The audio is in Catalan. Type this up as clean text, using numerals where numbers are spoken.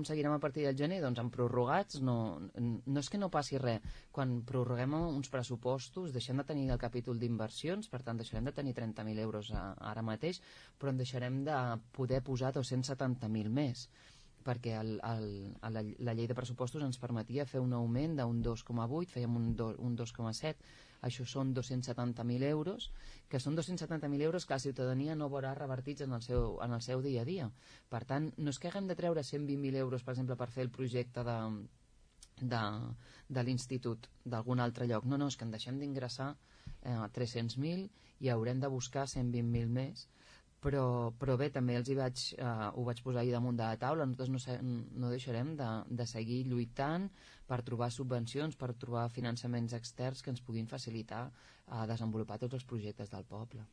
com seguirem a partir del gener? Doncs amb prorrogats no és que no passi res. Quan prorroguem uns pressupostos deixem de tenir el capítol d'inversions, per tant deixarem de tenir 30.000 euros ara mateix, però en deixarem de poder posar 270.000 més, perquè la llei de pressupostos ens permetia fer un augment d'un 2,8, fèiem un 2,7, això són 270.000 euros, que són 270.000 euros que la ciutadania no veurà revertits en el seu dia a dia. Per tant, no és que haguem de treure 120.000 euros, per exemple, per fer el projecte de l'institut d'algun altre lloc, no, és que en deixem d'ingressar 300.000 i haurem de buscar 120.000 més. Però bé, també ho vaig posar ahir damunt de la taula. Nosaltres no deixarem de seguir lluitant per trobar subvencions, per trobar finançaments externs que ens puguin facilitar desenvolupar tots els projectes del poble.